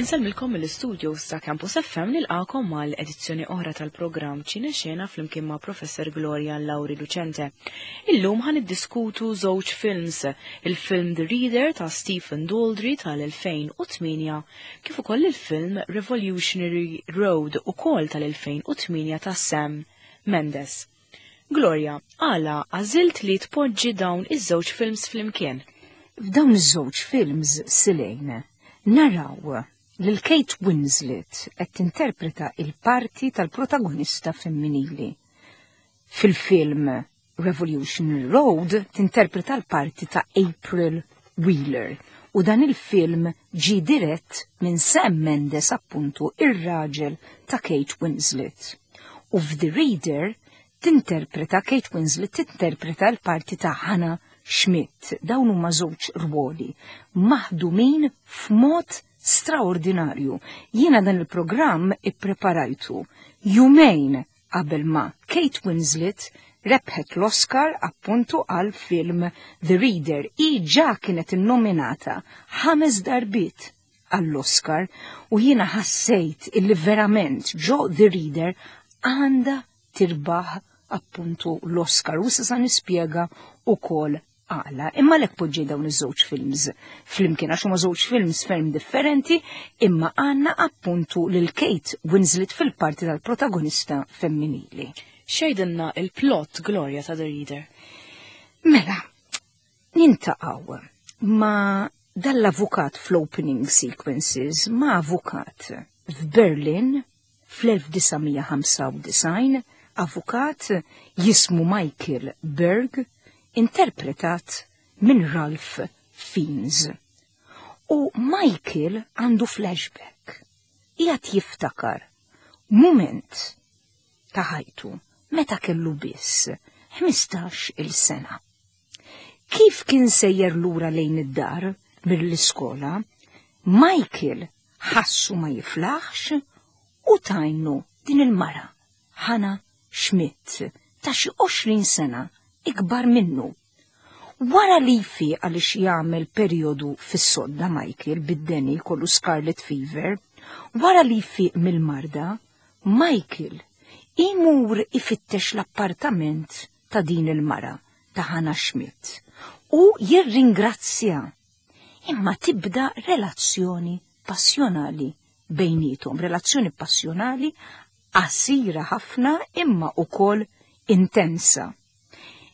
Insellmilkom mill-istudios ta' Campus FM nilqakom għal edizzjoni oħra tal-programm Ċine Xena flimkien ma' Professor Gloria Lauri Lucente. Illum ħan iddiskutu żewġ films, il-film The Reader ta' Stephen Daldry tal-2008 kif ukoll il-film Revolutionary Road ukoll tal-2008 ta' Sam Mendes. Gloria, għala għażilt li tpoġġi dawn iż-żewġ films flimkien? F'dawn iż-żewġ films Silejn naraw lil Kate Winslet qed tinterpreta il-parti tal-protagonista femminili. Fil-film Revolutionary Road tinterpreta l-parti ta' April Wheeler u dan il-film ġi dirett minn Sam Mendes appuntu ir-raġel ta' Kate Winslet. U f'The Reader tinterpreta Kate Winslet tinterpreta l-parti ta' Hannah Schmidt. Dawn huma żewġ rwoli maħdumin f'mod straordinarju. Jiena dan il-programm ippreparajtu jumejn qabel ma Kate Winslet rebħet l-Oscar appuntu għal film The Reader. I ġa kienet innominata ħames darbiet għall-Oscar u jiena ħassejt illi verament ġo The Reader għandha tirbaħ appuntu l-Oscar u issa nispjega ukoll għala. Imma lek poġġi dawn iż-żewġ films flimkien għax huma żewġ films ferm differenti, imma għandna appuntu lil Kate Winslet fil-parti tal-protagonista femminili. Xejdinna il-plot Gloria ta' The Reader. Mela, nintaqgħu ma dal-avukat fl-opening sequences ma' avukat f'Berlin fl-1995, avukat jismu Michael Berg, interpretat minn Ralph Fiennes. U Michael għandu flashback. Qiegħed jiftakar mument ta' ħajtu meta kellu biss 15 il-sena. Kif kien sejjer lura lejn id-dar mill-iskola, Michael ħassu ma jiflaħx u tajnu din il-mara, Hannah Schmidt, ta' xi 20 sena ikbar minnu. Wara li jfiq għaliex jagħmel perjodu fis-sodda Michael bid-deni kollu scarlet fever, wara li jfiq mill-marda, Michael imur ifittex l-appartament ta' din il-mara ta' Hannah Schmidt u jirringrazzja. Imma tibda relazzjoni passjonali bejnietom, relazzjoni passjonali qasira ħafna imma ukoll intensa.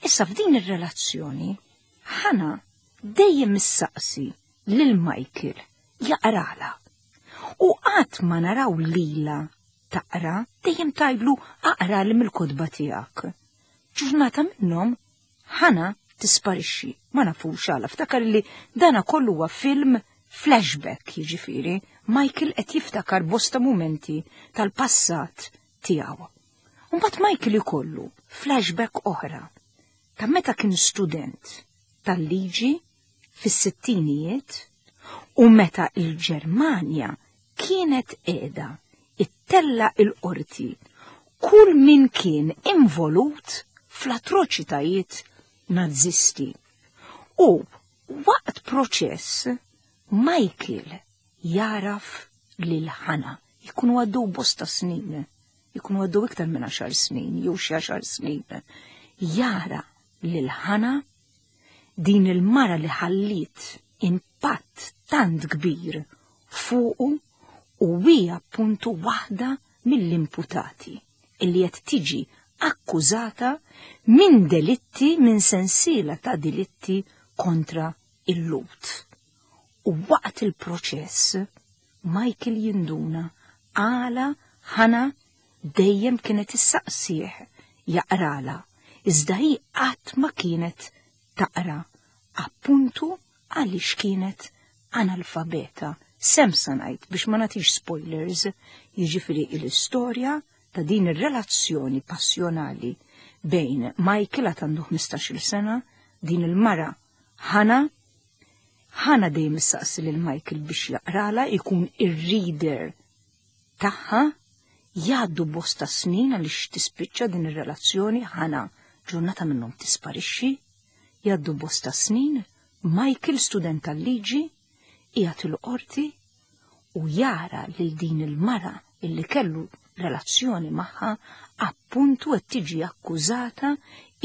Issa f'din ir-relazzjoni Hannah dejjem issaqsi lil Michael jaqrala. U qatt ma naraw lila taqra, dejjem tgħidlu aqra li mill-kotba tiegħek. Ġurnata minnhom Hannah tisparixxi, ma nafux għala, ftakar li dana kollu huwa film flashback, jiġifieri Michael qed jiftakar bosta mumenti tal-passat tiegħu. Mbagħad Michael ikollu flashback oħra ta' meta kien student tal-liġi fis-sittinijiet u meta il-Ġermanja kienet qiegħda ittella il-qorti kull min kien involut fl-atroċitajiet nazisti. U waqt proċess Michael jaraf lil Hannah. Jkunu għaddew bosta snin, jkunu għaddew iktar minn 10 snin, jew xi 10 snin. Jara lil Hannah din il-mara li ħalliet impatt tant kbir fuqu u hija appuntu waħda mill-imputati illi qed tiġi akkużata minn delitti, minn sensiela ta' delitti kontra il-Lhud. U waqt il-proċess, Michael jinduna għala Hannah dejjem kienet issaqsih jaqrala, iżda hi qatt ma kienet taqra, appuntu għaliex kienet analfabeta. Sem sa ngħid biex ma nagħtix spoilers, jiġifieri l-istorja ta' din ir-relazzjoni passjonali bejn Michael għad għandu 15-il sena, din il-mara Hannah. Hannah dejjem issaqsi lil Michael biex jaqrala, jkun ir-reader tagħha, jgħaddu bosta snin għaliex tispiċċa din ir-relazzjoni, Hannah ġurnata minnhom tisparixxi, jgħaddu bosta snin, Michael student tal-liġi, qiegħed il-qorti. u jara lil din il-mara illi kellu relazzjoni magħha appuntu qed tiġi akkużata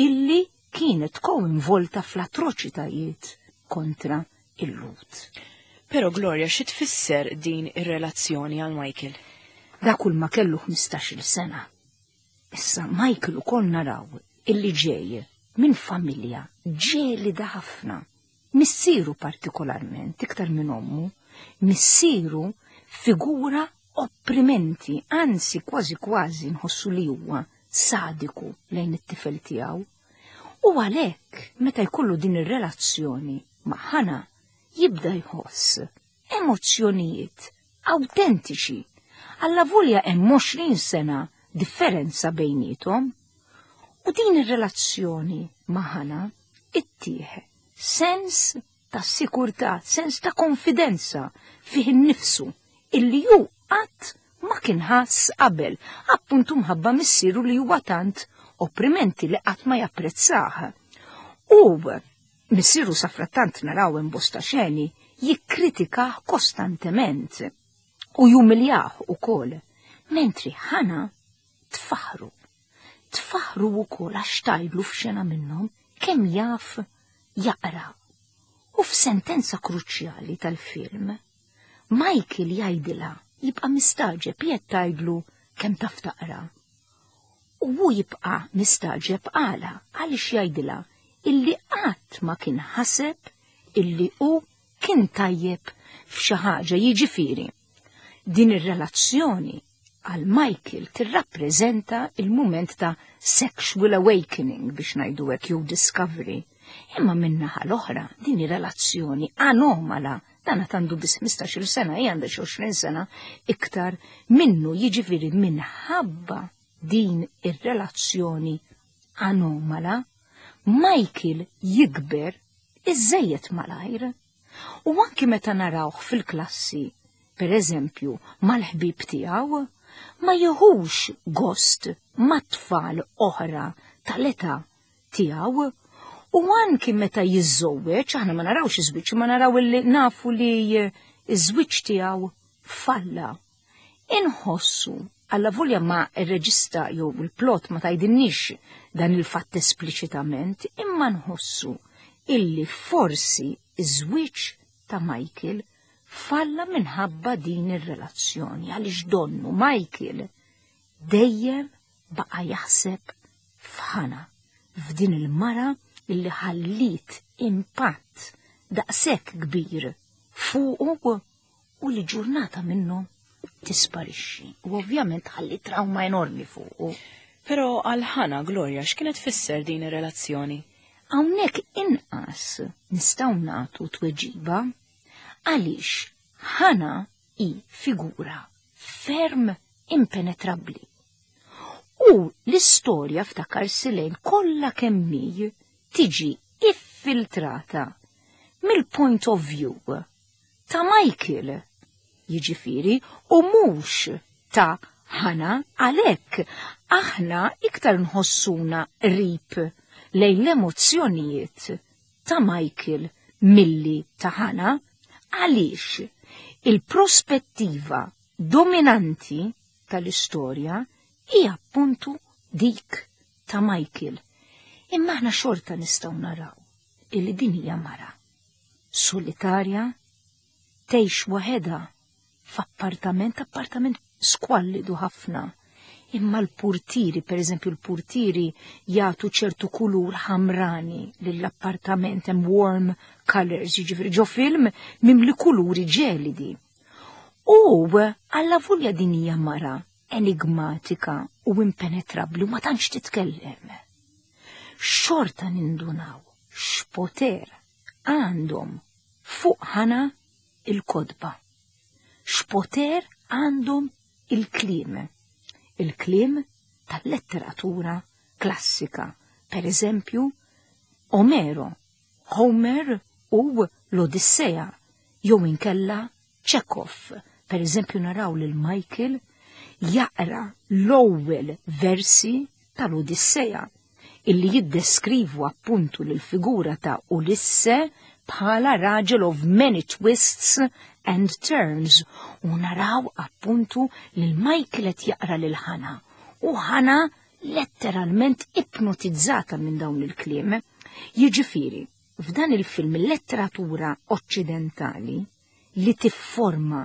illi kienet koinvolta fl-atroċitajiet kontra il-Lhud. Però Gloria, xi tfisser din ir-relazzjoni għal Michael? Dak kull ma kellu 15-il sena. Issa Michael ukoll naraw illi ġej minn familja ġelida ħafna. Missieru partikolarment, iktar minn ommu, missieru figura opprimenti, anzi kważi kważi nħossu li huwa sadiku lejn it-tifel tiegħu. U għalhekk meta jkollu din ir-relazzjoni ma' Hannah jibda jħoss emozzjonijiet awtentiċi. Allavolja hemm 20 sena differenza bejniethom. U din ir-relazzjoni ma' Hannah ittih sens ta' sikurtà, sens ta' konfidenza fih innifsu illi hu qatt ma kien ħass qabel, appuntu mħabba missieru li huwa tant opprimenti li qatt ma japprezzah. U missieru safrattant naraw hemm bosta xeni jikkritikah kostantement u jumiljah ukoll, mentri Hannah tfaħru. Tfaħru wkoll għax tgħidlu f'xena minnhom kemm jaf jaqra. U f'sentenza kruċjali tal-film, Michael jgħidilha jibqa' mistaġeb jekk tgħidlu kemm taf taqra. U hu jibqa' mistaġeb għala għaliex jgħidilha illi qatt ma kien ħaseb illi hu kien tajjeb f'xi ħaġa, jiġifieri. Din ir-relazzjoni għal Michael tirrappreżenta il-mument ta' sexual awakening biex ngħidu hekk jew discovery. Imma min-naħa l-oħra din ir-relazzjoni anomala, dan għad għandu biss 15-il sena, hija għandha xi 20 sena iktar minnu, jiġifieri minħabba din ir-relazzjoni anomala, Michael jikber iżżejjed malajr. U anki meta narawh fil-klassi, per eżempju, mal-ħbieb tiegħu, ma jieħux gost mat-tfal oħra tal-età tiegħu. U anki meta jiżżewweġ, aħna ma narawx iż-żwieġ, ma naraw illi nafu li ż-żwieġ tiegħu falla. Inħossu, allavolja ma r-reġista jew il-plot ma tgħidilniex dan il-fatt espliċitament, imma nħossu illi forsi iż-żwieġ ta' Michael falla minħabba din ir-relazzjoni, għaliex donnu Michael dejjem baqa' jaħseb f'Hannah, f'din il-mara illi ħalliet impatt daqshekk kbir fuqu u li ġurnata minnhom tisparixxi. U ovvjament ħalli trauma enormi fuqu. Però għal Hannah, Gloria, x'kienet tfisser din ir-relazzjoni? Hawnhekk inqas nistgħu nagħtu tweġiba għaliex Hannah hi figura ferm impenetrabbli. U l-istorja ftakar Silejn kollha kemm hi tiġi iffiltrata mill-point of view ta' Michael, jiġifieri, u mhux ta' Hannah, għalhekk aħna iktar nħossuna qrib lejn l-emozzjonijiet ta' Michael milli ta' Hannah, għaliex il-prospettiva dominanti tal-istorja hija appuntu dik ta' Michael. Imma aħna xorta nistgħu naraw illi din hija mara solitarja, tgħix waħedha f'appartament, appartament skwallidu ħafna. Imma l-purtiri, per eżempju, l-purtiri jagħtu ċertu kulur ħamrani lill-appartament, hemm warm colors, jiġifieri ġo film mimli kuluri ġelidi. U allavolja din hija mara enigmatika u impenetrabbli u ma tantx titkellem. Xorta nindunaw x'poter għandhom fuq Hannah il-kotba. X'poter għandhom il-kliem. Il-kliem tal-letteratura klassika. Per eżempju, Omero, Homer u l-Odissea, jew inkella Chekhov. Per eżempju, naraw lil Michael jaqra l-ewwel versi tal-Odissea illi jiddeskrivu appuntu l-figura ta' Ulisse bħala raġel of many twists. and Turns u naraw appuntu lil Michael qed jaqra lil Hannah u Hannah letteralment ipnotizzata minn dawn il-kliem. Jiġifieri, f'dan il-film il-letteratura oċċidentali li tifforma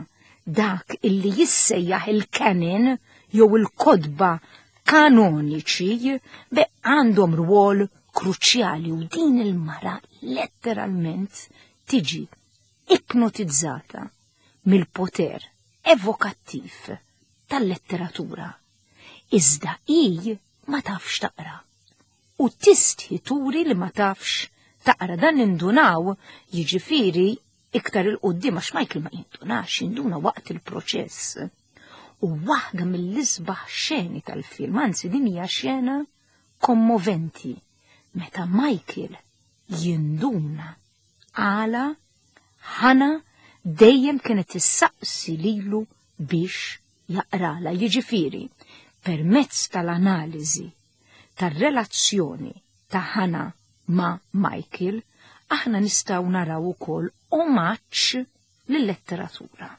dak illi jissejjaħ il-canon jew il-kotba kanoniċi be għandhom rwol kruċjali u din il-mara letteralment tiġi ipnotizzata mill-poter evokattiv tal-letteratura. Iżda hi ma tafx taqra u tistħi turi li ma tafx taqra dan nindunaw jiġifieri iktar il-qoddim għax Michael ma jindunax, jinduna waqt il-proċess. U waħda mill-isbaħ xeni tal-film, anzi din hija xena kommoventi, meta Michael jinduna għala Hannah dejjem kienet issaqsi lilu biex jaqrala, jiġifieri permezz tal-analiżi tar-relazzjoni ta' Hannah ma' Michael, aħna nistgħu naraw ukoll omaġġ lill-letteratura,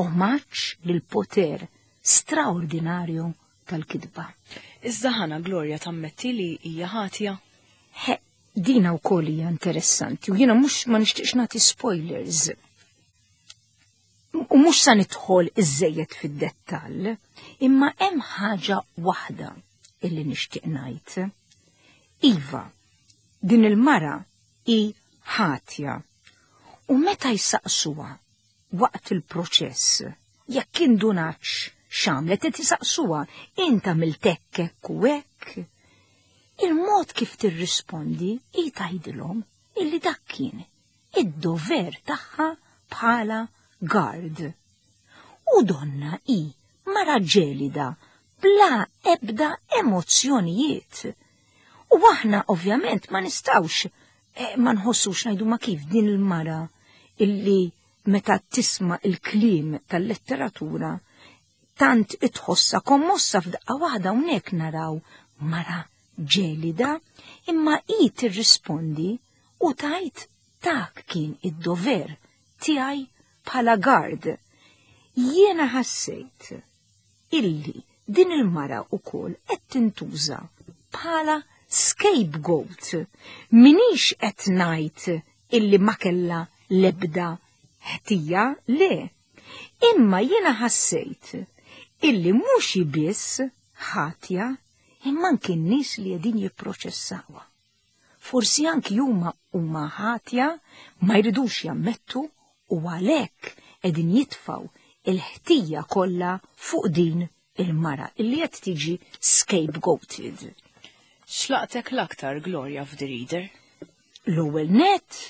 omaġġ lill-poter straordinarju tal-kitba. Iżda Hannah Gloria tammetti li hija ħatja? He, dina wkoll hija interessanti u jiena mhux ma nixtieqx nagħti spoilers. U mhux sa nidħol iżejjed fid-dettall, imma hemm ħaġa waħda illi nixtieq ngħid. Iva, din il-mara hi ħatja. U meta jsaqsuha waqt il-proċess, jekk indunax x'għamlet, qed isaqsuha int għamilt hekk hekk u hekk. Il-mod kif tirrispondi hi tgħidilhom illi dak kien id-dover tagħha bħala guard. U donna hi mara ġelida bla ebda emozzjonijiet. U aħna ovvjament ma nistgħux ma nħossux ngħidu ma kif din il-mara illi meta tisma' il-kliem tal-letteratura tant itħossa kommossa f'daqqa waħda hawnhekk naraw mara ġelida, imma hi tirrispondi u tajt dak kien id-dover tiegħi bħala guard. Jiena ħassejt illi din il-mara wkoll qed tintuża bħala scapegoat. Minix qed ngħid illi ma kellha l-ebda ħtija, le. Imma jiena ħassejt illi mhux biss ħatja, imma anki n-nies li qegħdin jipproċessawha. Forsi anki huma huma ħatja ma jridux jammettu u għalhekk qegħdin jitfgħu il-ħtija kollha fuq din il-mara illi qed tiġi scapegoated. X'laqtek l-aktar Gloria f'The Reader? L-ewwel net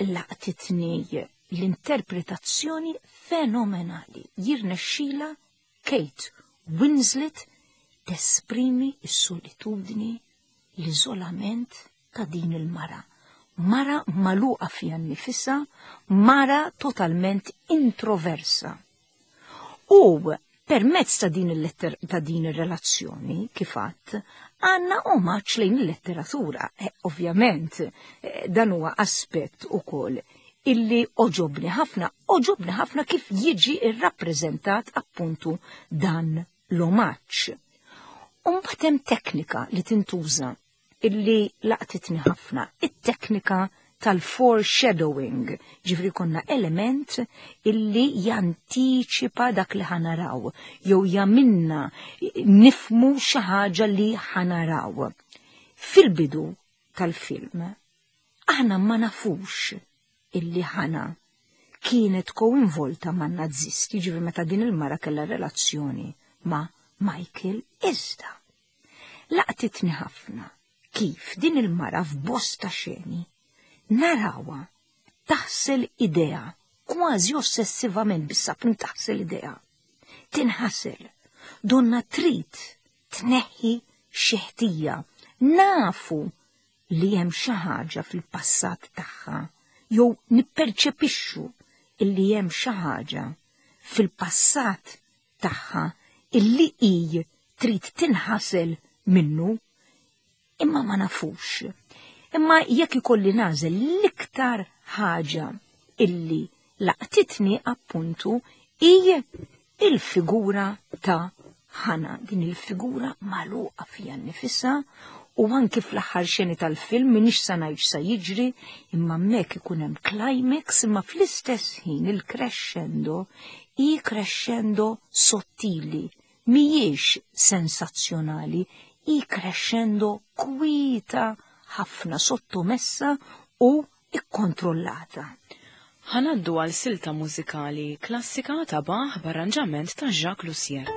laqtitni l-interpretazzjoni fenomenali jirnexxila Kate Winslet tesprimi s-solitudni, l-iżolament ta' din il-mara. Mara magħluqa fiha nnifisha, mara totalment introversa. U permezz ta' din il-letter ta' din ir-relazzjoni, kif għadt, għandna omaġġ lejn il-letteratura. Ovvjament, dan huwa aspett ukoll illi oġobni ħafna, oġobni ħafna kif jiġi rrappreżentat appuntu dan l-omaġġ. Umbagħad hemm teknika li tintuża illi laqtitni ħafna, it-teknika tal-foreshadowing, ġifri konna element illi jantiċipa dak li ħanaraw, jew jaminna nifmu xi ħaġa li ħanaraw. Fil-bidu tal-film, aħna ma nafux illi Hannah kienet koinvolta ma' nazisti, ġifri meta din il-mara kellha relazzjoni ma' Michael iżda. Laqtitni ħafna kif din il-mara f'bosta xeni narawha taħsel idea kważi ossessivament bis-sapun taħsel idea. Tinħasel, donna trid tneħħi xi ħtija. Nafu li hemm xi ħaġa fil-passat tagħha jew nipperċepixxu illi hemm xi ħaġa fil-passat tagħha illi hi trid tinħasel minnu, imma ma nafux. Imma jekk ikolli nagħżel l-iktar ħaġa illi laqtitni appuntu hi il-figura ta' Hannah, din il-figura magħluqa fiha nnifisha u anki fl-aħħar xeni tal-film m'iniex sa ngħid x'sa jiġri, imma hemmhekk ikun hemm climax imma fl-istess ħin il-crescendo hi crescendo sottili, mhijiex sensazzjonali, hi crescendo kwieta ħafna, sottomessa u ikkontrollata. Ħa ngħaddu għal silta mużikali klassika ta' Bach b'arranġament ta' Jacques Lussier.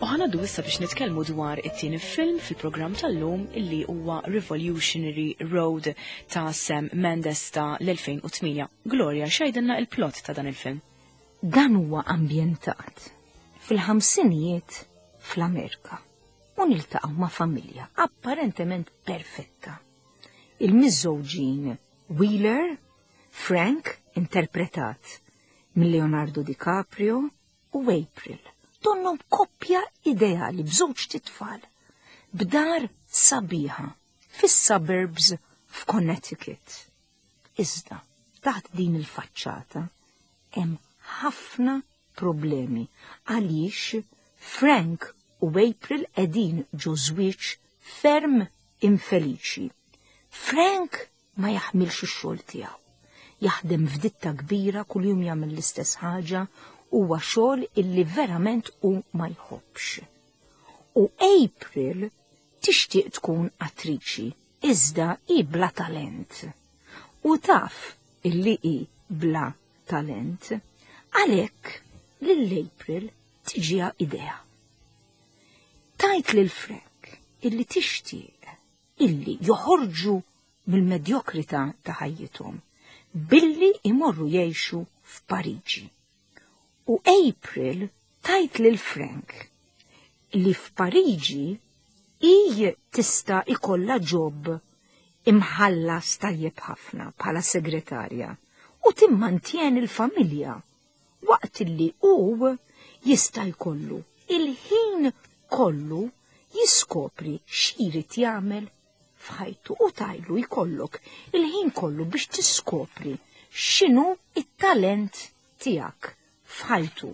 U ħanaddu issa biex nitkellmu dwar it-tieni film fil-programm tal-lum illi huwa Revolutionary Road ta' Sam Mendes ta' l-2008. Gloria, x'għidilna il-plot ta' dan il-film? Dan huwa ambjentat fil-ħamsinijiet fl-Amerika u niltaqgħu ma' familja apparentement perfetta. Il-miżżewġin Wheeler, Frank, interpretat minn Leonardo DiCaprio, u April, donnhom koppja ideali b'żewġ titfal, b'dar sabiħa fis-suburbs f'Connecticut. Iżda, Taħt din il-faċċata hemm ħafna problemi għaliex Frank u April qegħdin ġo żwieġ ferm infeliċi. Frank ma jaħmilx ix-xogħol tiegħu. Jaħdem f'ditta kbira kuljum jagħmel l-istess ħaġa huwa xogħol illi verament hu ma jħobbx. U April tixtieq tkun attriċi, iżda hi bla talent. U taf illi hi bla talent. Għalhekk lil April tiġiha idea. Tgħid lil Frank illi tixtieq illi joħorġu mill-medjokrità ta' ħajjithom billi imorru jgħixu f'Pariġi. U April tgħid lil Frank li f'Pariġi hi tista' ikollha job imħallas tajjeb ħafna bħala segretarja u timmantjeni l-familja waqt li hu jista' jkollu il-ħin kollu jiskopri x'irid jagħmel f'ħajtu u tgħidlu jkollok il-ħin kollu biex tiskopri x'inhu it-talent tiegħek f'ħajtu.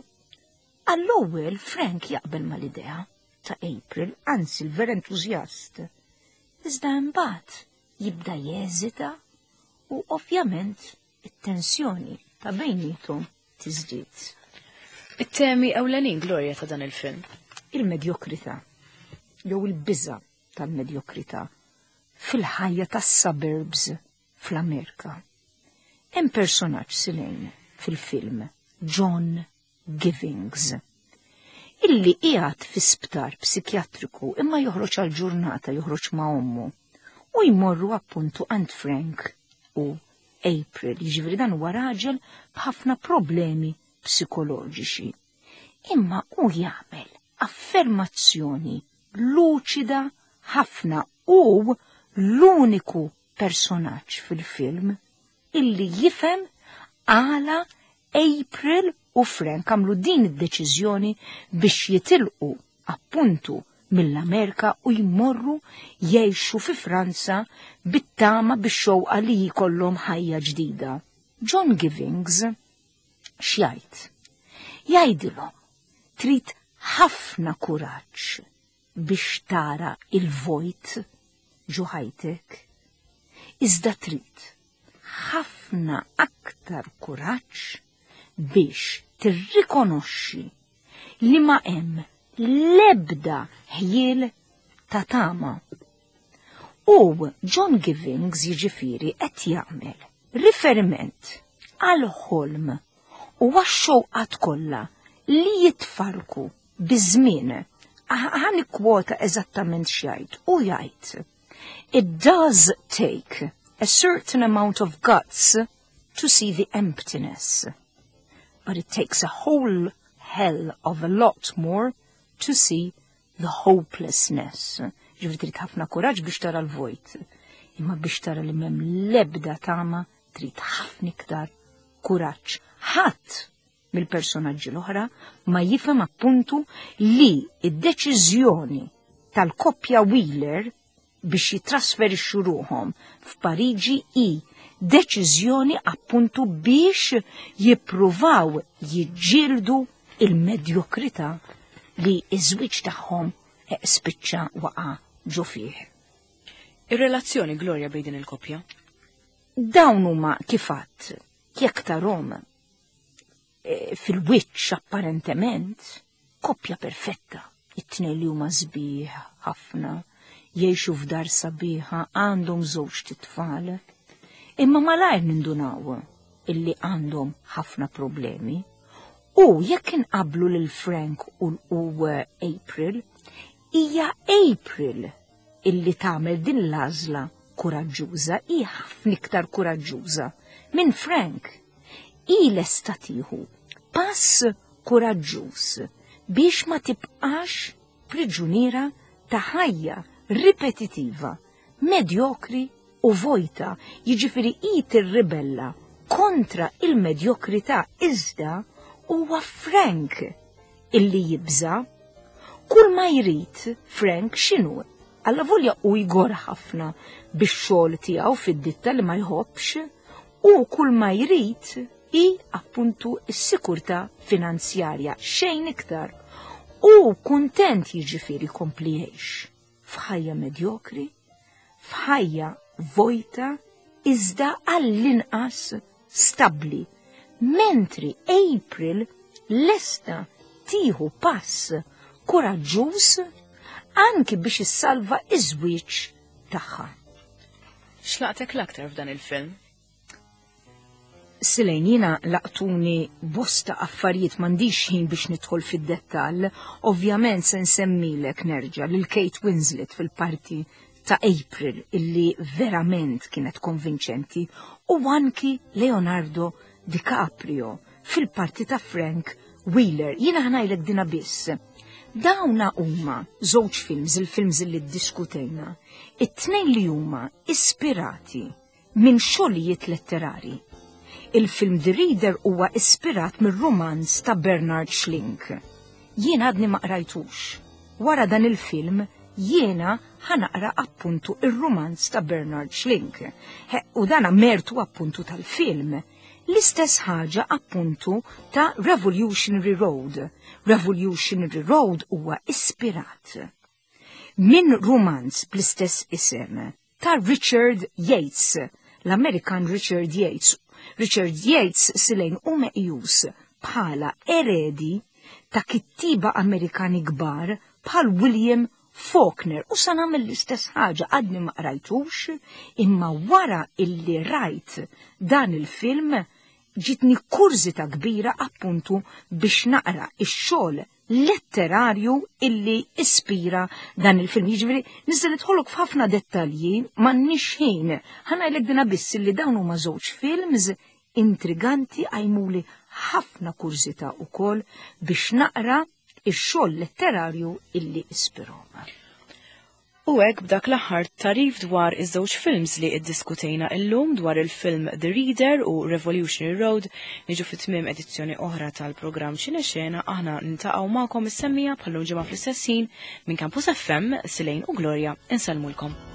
Għall-ewwel Frank jaqbel mal-idea ta' April, anzi l-ver entużjast. Iżda imbagħad jibda jeżita u ovvjament it-tensjoni ta' bejniethom tiżdied. It-temi ewlenin Gloria ta' dan il-film. Il-medjokrità jew il-biża' tal-medjokrità fil-ħajja tas-suburbs fl-Amerika. Hemm personaġġ silejn fil-film, John Givings, illi qiegħed fi sptar psikjatriku imma joħroġ għal ġurnata joħroġ ma' ommu u jmorru appuntu għand Frank u April, jiġifieri dan huwa raġel b'ħafna problemi psikoloġiċi. Imma hu jagħmel affermazzjoni luċida ħafna u l-uniku personaġġ fil-film illi jifhem għala April u Frank għamlu din id-deċiżjoni biex jitilqu appuntu mill-Amerika u jmorru jgħixu fi Franza bit-tama bix-xewqa li jkollhom ħajja ġdida. John Givings x'jgħid? Jgħidilhom trid ħafna kuraġġ biex tara il-vojt ġo ħajtek. Iżda trid ħafna aktar kuraġġ biex tirrikonoxxi li ma hemm l-ebda ħjiel ta' tama. U John Givings jiġifieri qed jagħmel riferiment għal ħolm u għax-xewqat kollha li jitfarku biż-żmien. Ħa nikkwota eżattament x'jgħid. U jgħid: It does take a certain amount of guts to see the emptiness, but it takes a whole hell of a lot more to see the hopelessness. Ġifieri trid ħafna kuraġġ biex tara l-vojt. Imma biex tara li m'hemm l-ebda tama trid ħafna iktar kuraġġ. Ħadd mill-personaġġi l-oħra ma jifhem appuntu li id-deċiżjoni tal-koppja Wheeler biex jitrasferixxu ruħhom f'Pariġi hi deċiżjoni appuntu biex jippruvaw jiġġieldu il-medjokrità li iż-żwieġ tagħhom spiċċa waqa' ġo fih. Ir-relazzjoni Gloria bejn din il-koppja? Dawn huma kif għadt jekk tarhom fil-wiċċ apparentement koppja perfetta. It-tnejn li huma sbieħ ħafna, jgħixu f'dar sabiħa, għandhom żewġ titfal. Imma malajr nindunaw illi għandhom ħafna problemi. U jekk inqablu lil Frank u April, hija April illi tagħmel din l-għażla kuraġġuża, hi ħafna iktar kuraġġuża minn Frank. Hi lesta tieħu pass kuraġġuż biex ma tibqax priġuniera ta' ħajja ripetitiva, medjokri u vojta, jiġifieri hi tirribella kontra il-medjokrità iżda huwa Frank illi jibża. Kull ma jrid Frank x'inhu? Allavolja u jgor ħafna bix-xogħol tiegħu fid-ditta li ma jħobbx, U kull ma jrid hi appuntu s-sikurtà finanzjarja, xejn iktar. U kuntent jiġifieri jkompli jgħix f'ħajja medjokri, f'ħajja vojta, iżda għall-inqas stabbli, mentri April lesta tieħu pass kuraġġuż anki biex issalva iż-żwieġ tagħha. X'laqtek l-aktar f'dan il-film? Silejn jiena laqtuni bosta affarijiet m'għandix ħin biex nidħol fid-dettall, ovvjament se nsemmilek nerġa' lil Kate Winslet fil-parti ta' April illi verament kienet konvinċenti u anki Leonardo DiCaprio fil-parti ta' Frank Wheeler. Jiena ħnajlek dina biss. Dawna huma żewġ films, il-films li ddiskutejna, it-tnejn li huma ispirati minn xogħlijiet letterari. Il-film The Reader huwa ispirat mir-rumanz ta' Bernard Schlink. Jiena għadni ma qrajtux. Wara dan il-film jiena ħanaqra appuntu ir-rumanz ta' Bernard Schlink. U dana mertu appuntu tal-film. L-istess ħaġa appuntu ta' Revolutionary Road. Revolutionary Road huwa ispirat minn rumanz bl-istess isem ta' Richard Yates, l-Amerikan Richard Yates. Richard Yates silejn u meqjus bħala eredi ta' kittiba Amerikani kbar bħal William Faulkner u sa nagħmel l-istess ħaġa għadni ma qrajtux imma wara illi rajt dan il-film ġitni kurżità kbira appuntu biex naqra ix-xogħol letterarju illi ispira dan il-film. Jiġifieri nista' nidħolok f'ħafna dettalji m'għandniex ħin. Ħa ngħidlek dina biss illi dawn huma żewġ films intriganti għajmuli ħafna kurżità ukoll biex naqra ix-xogħol letterarju illi ispirhom. U hekk b'dak l-aħħar tarif dwar iż-żewġ films li iddiskutejna illum dwar il-film The Reader u Revolutionary Road niġu fit tmiem edizzjoni oħra tal-programm Xine Xena aħna nintaqgħu magħkom is-semmija bħallum ġimgħa fl-istess ħin minn Campus FM Silejn u Gloria insellmulkom.